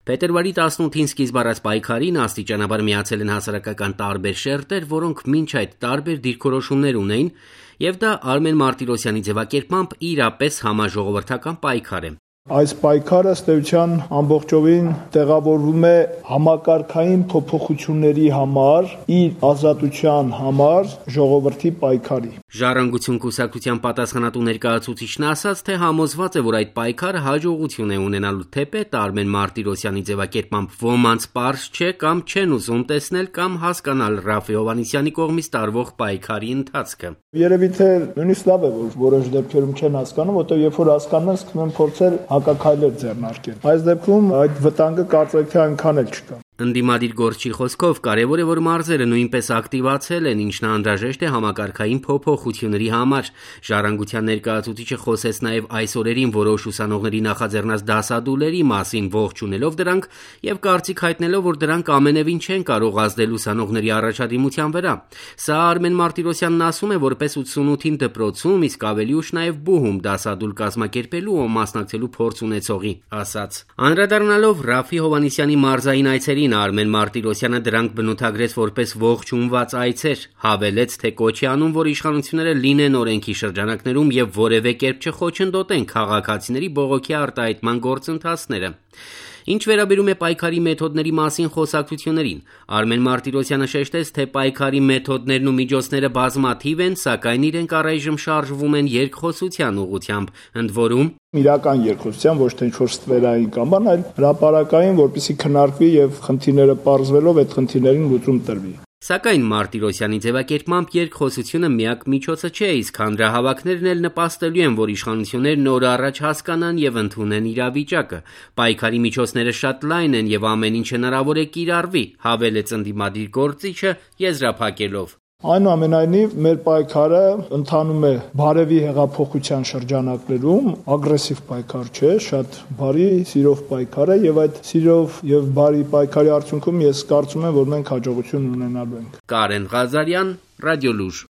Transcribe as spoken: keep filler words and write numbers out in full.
Փետրվարի տասնութին սկիզբ առած պայքարին աստիճանաբար միացել են հասարակական տարբեր շերտեր, որոնք մինչ այդ տարբեր դիրքորոշումներ ունեին, եւ դա Արմեն Մարտիրոսյանի ձևակերպմամբ իրապես համաժողովրդական պայքար է։ Այս պայքարը ըստ էության ամբողջովին տեղավորվում է համակարգային փոփոխությունների համար, իր ազատության համար ժողովրդի պայքարի։ Ժառանգություն կուսակցության պատասխանատու ներկայացուցիչն ասաց, թե համոզված է, որ այդ պայքարը հաջողություն է ունենալու, թեպետ Արմեն Մարտիրոսյանի ձևակերպմամբ ոմանց պարզ չէ կամ չեն ուզում տեսնել կամ հասկանալ Ռաֆֆի Հովհաննիսյանի կողմից տարվող պայքարի ընթացքը։ Երևի թե նույնիսկ լավ է, որ որոշ դեպքերում չեն հասկանում, որտեղ երբ որ հասկանում են, սկսում են փորձել հակաքայլեր ձեռնարկել։ Այս դեպքում այդ վտանգը կարծեք թե այնքան էլ չկա։ Ընդդիմադիր գործչի խոսքով կարևոր է, որ մարզերը նույնպես ակտիվացել են, ինչն անհրաժեշտ է համակարգային փոփոխությունների համար։ Ժառանգության ներկայացուցիչը խոսեց նաև այս օրերին որոշ ուսանողների նախաձեռնած դասադուլերի մասին, ողջունելով դրանք եւ կարծիք հայտնելով, որ դրանք ամենևին չեն կարող ազդել ուսանողների առաջադիմության վրա։ Սա Արմեն Մարտիրոսյանն ասում է որպես ութսունութին դպրոցում, իսկ ավելի ուշ նաև բուհում դասադուլ կազմակերպելու ու մասնակցելու փորձ ունեցողի ասաց։ Անդրադառնալով Ռաֆֆի Հովհաննիսյանի մարզային այցերին Արմեն Մարտիրոսյանը դրանք բնութագրեց որպես ողջունված այցեր, հավելեց, թե կոչ է անում, որ իշխանությունները լինեն օրենքի շրջանակներում եւ որևէ կերպ չխոչընդոտեն քաղաքացիների բողոքի արտահայտման գործընթացները։ Ինչ վերաբերում է պայքարի մեթոդների մասին խոսակցություններին, Արմեն Մարտիրոսյանը շեշտեց, թե պայքարի մեթոդներն ու միջոցները բազմաթիվ են, սակայն իրենք առայժմ շարժվում են երկխոսության ուղղությամբ, ընդ որում իրական երկխոսության, ոչ թե ինչ-որ ստվերային կամ բան, այլ հրապարակային, որպեսզի քննարկվի եւ խնդիրները պարզվելով այդ խնդիրներին լուծում տրվի։ Սակայն Մարտիրոսյանի ձևակերպմամբ երկխոսությունը միակ միջոցը չէ, իսկ հանրահավաքներն էլ նպաստելու են, որ իշխանություններն օր առաջ հասկանան եւ ընդունեն իրավիճակը։ Պայքարի միջոցները շատ լայն են եւ ամեն ինչ հնարավոր է կիրառվի, հավելեց ընդդիմադիր գործիչը եզրափակելով։ Այնուամենայնիվ մեր պայքարը ընթանում է բարևի հեղափոխության շրջանակներում, ագրեսիվ պայքար չէ, շատ բարի, սիրով պայքար է եւ այդ սիրով եւ բարի պայքարի արդյունքում ես կարծում եմ, որ մենք հաջողություն ունենալու ենք։ Կարեն Ղազարյան, Ռադիոլուր։